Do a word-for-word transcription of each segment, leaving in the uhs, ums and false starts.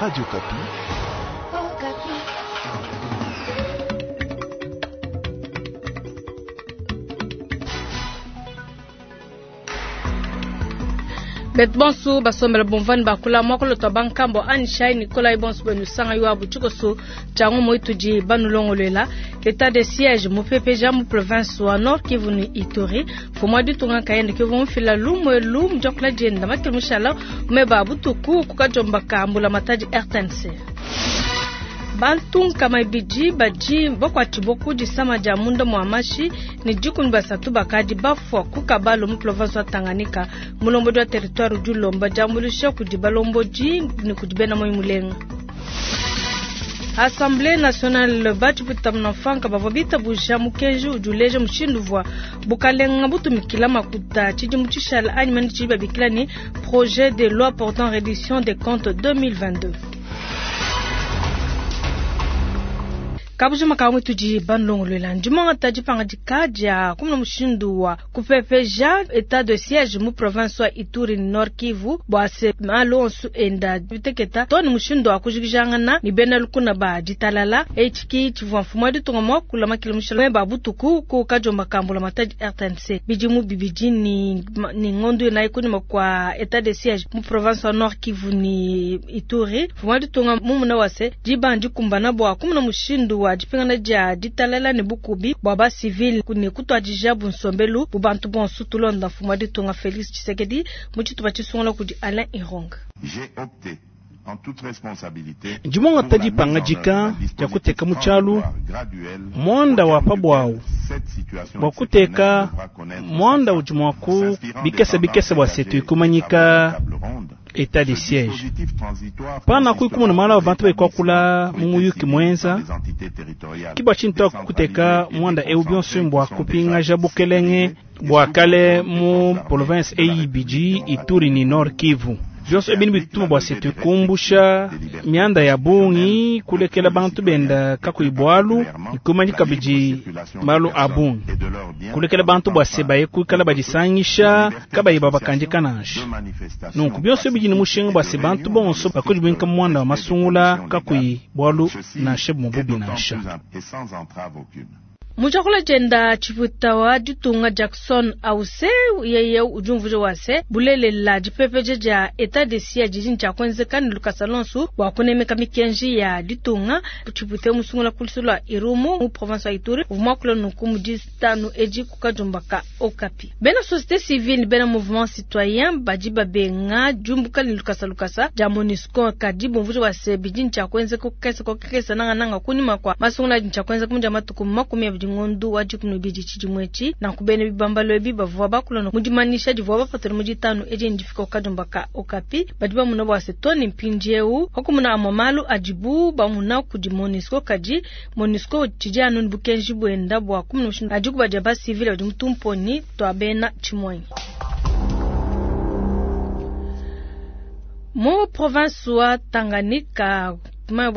Radio Okapi. Bet bonsu basombela bomvani bakula mwakolo twa bankambo anishai Nikolai bonsu benu sanga yuwa butshikoso tyango moitudi banulongolela l'état de siège mupepeja mu province wa Nord Kivu ni Ituri fumwa ditunga kayende kivu mufila lumwe lu mjakula jenda makili mushala meba butuku kukajomba kambula matadi R T N C. Bantu nkama ibidi badi bakwatibwa disama dia munda mwa mashi ni dikumi basatu bakadi bafwa ku Kabalo mu province wa Tanganyika mulombodi wa territoire du Lomba diambulisha kudi balombodi ni kudi bena moyi mulenga. Assemblée nationale bachiputa mnafanka bavwa bitabusha mukenji ujuleje mushindu vwa bukalenga butumikila makuta chidi muchishala anyi mani chidi babikila ni projet de loi portant reddition des comptes deux mille vingt-deux. Kabujuma kamwe tudi banlongolwela ndimanga tadi panga dikadia kumna mushindu wa kupepeja état de siège mu province wa Ituri Nord Kivu bwase malonsu enda biteketa toni mushindu wa kujikijangana ni bena lukuna ba ditalala echiki chivwa mfumo ditunga mwa kula makila mushala ba butuku ku kajomba kambula matadi R T N C bidimu bibidi ni, ni ngondu na ikuni kwa état de siège mu province wa Nord Kivu ni Ituri mfumo ditunga mumuna wase dibandi kumbana bwa kumna mushindu wa dipingana dia ditalala ne bukubi bwa ba civil ne kutwadija bunsombelu bubantu bonso tulonda mfumo ditunga Félix Tshisekedi mu tshitupa tshisungola kudi Alain Ironga. J'ai opté en toute responsabilité Ndimonga tadi pangajika ya kuteka muchalu mwanda wa pabwao bwa kuteka mwanda udi mwaku bikese bikese bwa setu ikumanyika état de siège pana kuikumuna mala wa bantu bekwakula mumuyuki mwenza kibwa tshintu kuteka mwanda eu bionso mbwa kupingaja bukelenge bwa kale mu province A I B G Ituri ni Nord Kivu byonso ebini bituma bwa setu kumbusha mianda ya bungi kulekela bantu benda kakuibwalu ikumanyika biji malu abungi kulekela bantu bwa sebaye kuikala badisangisha kabayi babakandika nansha nunku byonso biji ni mushinga bwa se bantu bonso bakujibwinka mwanda wa masungula kakuibwalu nansha bumububi nansha. Mujakula jenda chiputa wa ditunga Jackson Ause yeye ujumvuje wase bulelela dipepeje ja état de siège jijini cha kwenzeka ni Lucas Alonso wa kunemeka mikenji ya ditunga chipute musungula kulisula Irumu mu province ya Ituri uvuma nuku mu distanu eji kukajumba ka Okapi. Bena société civile bena mouvement citoyen badi babenga jumbuka ni Lucas Lukasa ja MONUSCO kadi bumvuje wase bijini cha kwenzeka kukesa kokesa nanga nanga kunima kwa masungula cha kwenzeka muja matuku makumi abidi ngondu wa dikumi bidi tshidimwetshi na kubene bibambalo ebi bavua bakula mudimanisha divua bapatula mu ditanu edi ndifika okajumba ka Okapi badi bamuna bwa setoni mpindieu wakumuna amwa malu adibu bamuna kudi MONUSCO kadi MONUSCO tshidi anu bukenji bwenda bwa kumuna mushindu adi kubadia ba civil badi mutumponi twa bena tshimwanyi. Mu province wa Tanganyika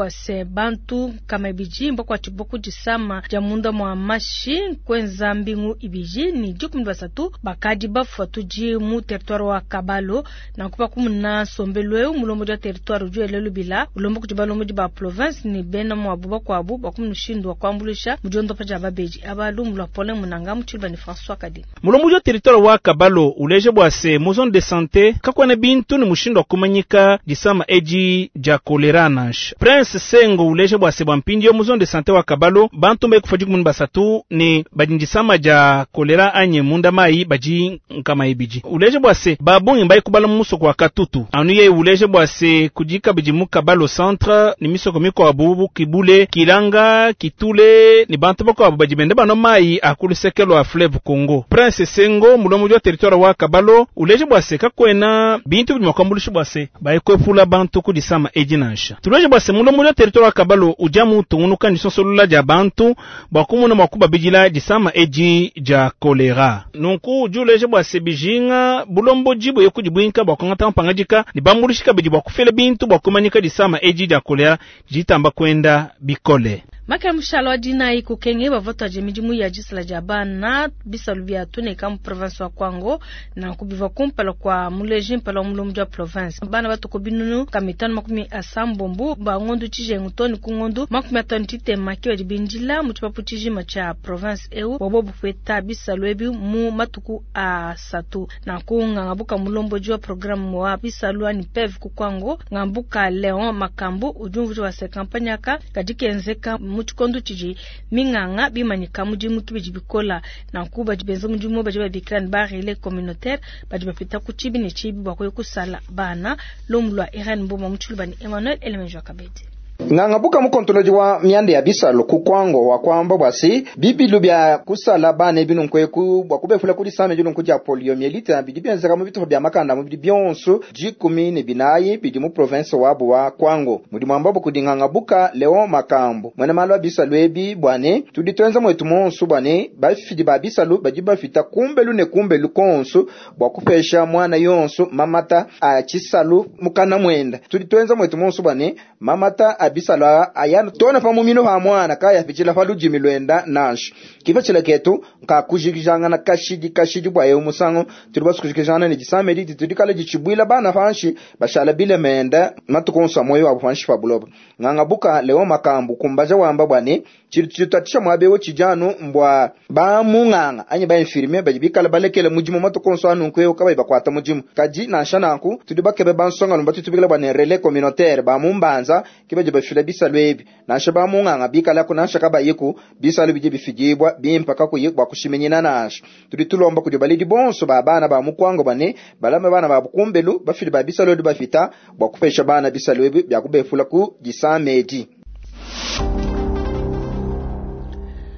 se bantu kama ibiji mbakwa chiboku disama ja munda mwa mashi kwenza mbingu ibiji ni dikumi basatu bakadi bafwa tuji mu territoire wa Kabalo na kupa kumuna sombelwe mulombo ja territoire ju elelu bila ulombo kujiba lombo ba province ni bena mwa buba kwa bu bakumushindu wa kwambulisha mujondo pa ja babeji abalu mulwa pole munanga muchilba ni François Kadi mulombo ja territoire wa Kabalo uleje bwase mu zone de santé kakwana bintu ni mushindu wa kumanyika disama eji ja kolera nansha Prince Sengo uleje bwase bwa mpindi yo mu zone de santé wa Kabalo bantu mbe kufa dikumu basatu ni badindisama ja kolera anye munda mai baji nkama ibiji uleje bwase babungi mbai kubala musoko wa Katutu anu ye uleje bwase kujika biji mu Kabalo centre ni misoko miko abubu kibule kilanga kitule ni bantu bako abu bajibende bano mai akulusekelo a fleuve Congo Prince Sengo mulomo wa territoire wa Kabalo uleje bwase kakwena bintu bimakambulisha bwase bayikwepula bantu kudisama ejinansha tuleje bwase mulomo wa territoire wa Kabalo ujamu tungunuka ni sonsolula ja bantu bakumuna makuba bijila disama eji ja kolera nunku juleje bwase bijinga bulombo jibo yekujibwinka bwakongata mpangajika ni bambulishika biji bwakufela bintu bwakumanyika disama eji ja kolera jitamba kwenda bikole. Makela mushalo wa dinayi kukenge bavua midimu ya disala dia bana bisalu bia tuneka mu province wa Kwango na kubiva kumpala kwa muleji mpala wa mulombo wa province bana batuko binunu kamitano makumi asambombo ba ngondu tshijengu toni ku ngondu makumi atano tshitema ki badi bindila mu tshipapu tshijima tshia province eu bobo bupeta bisalu ebi mu matuku asatu na kunganga mulombo wa programme wa bisalu ani P E V ku Kwango ngambuka Leon Makambu ujumvu wa se campagne aka kadi kenzeka mu tshikondo tshidi minganga bimanyika mudimu kibidi bikola na kuba benza mudimu badi babikila ne ba relais communautaire badi bapita ku tshibi ne tshibi bua kuya kusala bana lumu lua Irene Mboma mu tshilubani Emmanuel Elemenjo Kabedi. Ng'angabuka mukontoloji wa myanda ya bisalo ku Kwango wa kwamba bwasi bibilu bya kusala bana bino nkweku bwa kubefula kuli same jino nkuja poliomyélite bidi byenzeka mu bitufa bya makanda mu bidi byonso jikumi ne binayi bidi mu province wabo wa Kwango. Mudimu ambabo kudi Ng'angabuka Leon Makambo mwene malo bisalu ebi bwane tudi twenza mwetu monso bwane bafidi ba bisalu badi bafita kumbelu ne kumbelu konso bwa kupesha mwana yonso mamata a chisalu mukana mwenda. Tudi twenza mwetu monso bwane mamata a bisalo ayana tona pa mumino ha mwana kaya pichila pa lujimi lwenda nansha kifa chila ketu nka kujikijangana kashidi kashidi bwa yo musango tuli basukujikijana ne disamedi tudi kala dichibwila bana fanshi bashala bile menda matukonsa moyo wa fanshi pa buloba. Nganga buka Leo Makambu kumbaja wamba bwane chitatisha mwabewo chijano mbwa ba munganga anye ba infirmier baji bikala balekele mujimu matukonsa anu nkweyo kabayi bakwata mujimu kaji nansha nanku tudi bakebe bansonga lumba tutubikila bwane relais communautaire ba mumbanza kibaje bafila bisalu ebi nansha ba munganga bikala ko nansha kabayiku bisalu bije bifijibwa bimpaka kuyikwa kushimenyina nansha. Tudi tulomba kudi balidi bonso ba bana ba mukwango bane balame bana ba bukumbelu bafili ba bisalu bafita bwa kupesha bana bisalu ebi bya kubefula ku disamedi.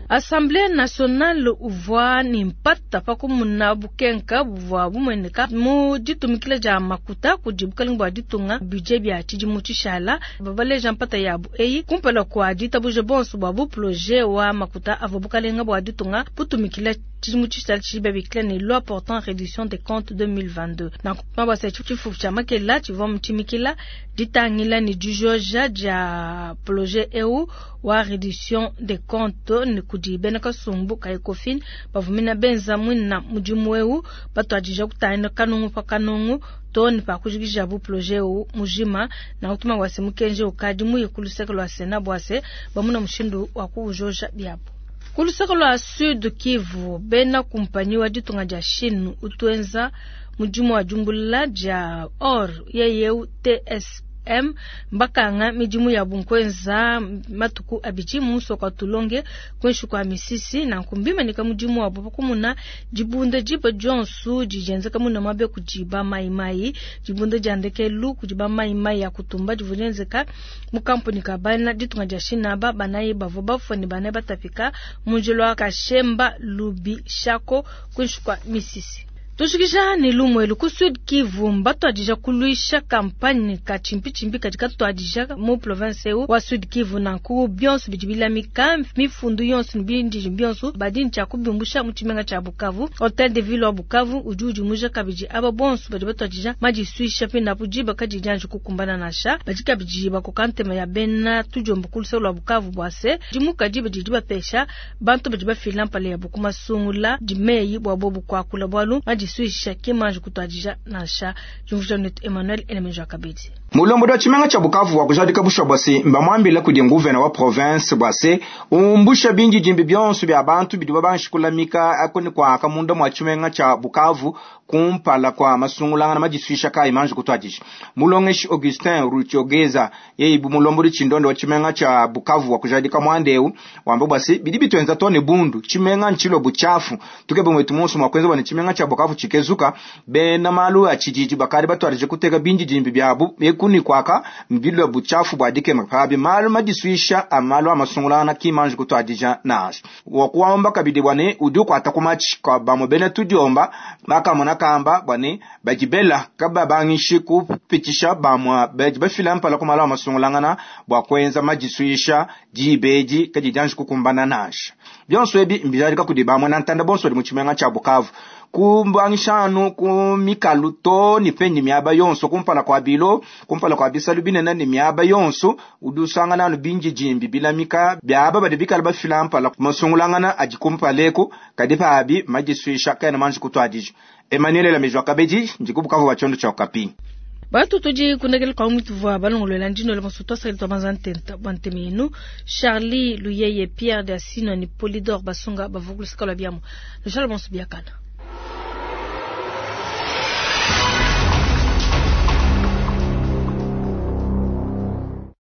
Assemblée nationale uvua ni mpata pakumuna bukenka buvua bumueneka mu ditumikila dia makuta kudi bukalenga bua ditunga budget bia tshidimu tshishala babaleja mpata yabu eyi kumpala kua ditabuja bonso bua buprojet wa makuta avua bukalenga bua ditunga butumikila tshidimu tshishala tshidi babikila ne loi portant réduction des comptes deux mille vingt-deux. Na mabasa tshifufu tshia makela tshivua mutshimikila ditangila ne dijoja dia projet eu wa réduction des comptes ne kudi bena kasumbu ka Ecofin bavumina benza mwina mudimu eu batuadija kutangila kanungu pa kanungu toni pa kujikija bu projet eu mujima na kutuma wase mukenje ukadi muye kuluseke lwa Sénat bwase bamuna mushindu wa kuujoja biabu. Kuluseke lwa Sud Kivu bena kumpanyi wa ditunga dia Chine utuenza mudimu wa jumbula dia or yeye T S M mbakanga midimu ya bunkwenza matuku abidi musoko tulonge kwenshi kwa misisi na nkumbimanika mudimu wabo pakumuna dibunda diba dionsu dijenzeka muna mabe kudiba maimai dibunda diandekelu kudiba maimai ya kutumba divunenzeka mu kampuni ka bana ditunga dia Chine ba banayi bavua bafua ne banayi batapika munjelo wa Kashemba Lubi Shako kwenshi kwa misisi. Tushikisha ni lumwelu ku Sud Kivu mbatuadija kuluisha campagne ka chimpi-chimpi katika tuadija mu province eu wa Sud Kivu na ku bionso bidi bilamika mifundu yonso bindi bionso badi ncha kubimbusha mu tshimenga tsha Bukavu. Hotel de ville wa Bukavu udi udimuja kabidi aba bonso badi batuadija madisuisha pina pujiba kadi janju kukumbana nasha badi kabidi bakokantema ya bena tujombo kulusa lwa Bukavu bwase dimuka diba didi bapesha bantu badi bafila mpale ya bukumasungula dimeyi bwa bobu kwakula bwalu madisuisha kimanje kutuadija nansha jumvuja netu Emmanuel Elemenjo Kabedi. Mulombo wa tshimenga tsha Bukavu wa kujadika busha bwase mbamwambila kudi nguvena wa province bwase umbusha bingi jimbi byonso bya bantu bidi babanshikulamika akoni kwaka munda mwa tshimenga tsha Bukavu kumpala kwa masungulangana madisuisha kai manje kutwadisha. Mulongeshi Augustin Ruchogeza yeye bu mulombo chindondo wa tshimenga tsha Bukavu wa kujadika mwandeu wamba bwase bidi bitwenza tone bundu tshimenga nchilo buchafu tukebe mwetu monso mwakwenza bwane tshimenga tsha Bukavu chikezuka bena malu a tshijiji bakari batwarije kuteka bingi jimbi byabu ekuni kwaka mbilwa buchafu bwadike mapabi malu madisuisha amalu amasungulana kimanje kutwadija naso wakuwamba kabidi bwane udi ukwata kumachi kwa bamwe bene tudiomba bakamona kamba bwane bajibela kaba bangishi kupitisha bamwa baji bafila mpala kumala amasungulangana bwa kwenza madisuisha dibeji kadi janji kukumbana nasha byonso ebi mbijadika kudi bamwe na ntanda bonso di mu tshimenga tsha Bukavu. Kubangishanu ku mikalu to ni penyi miaba yonso kumpala kwa bilo kumpala kwa bisalu binene ni miaba yonso udi usangana anu binjijimbi bilamika biaba badi bikala bafila mpala masungulangana adi kumpaleku kadi pabi majisuisha kaena manji kutuadija. Emmanuel Lamejwa Kabedi ndikubukavu wa chondo cha Okapi. Bantu tudi kundekela kwa mutuvua balongolola ndino le masuto asali twa banza ntenta bwa nteme Charlie Luyeye Pierre de Asino ni Polidor Basunga bavugulu sikalo biamo. Lushala bonso biakana.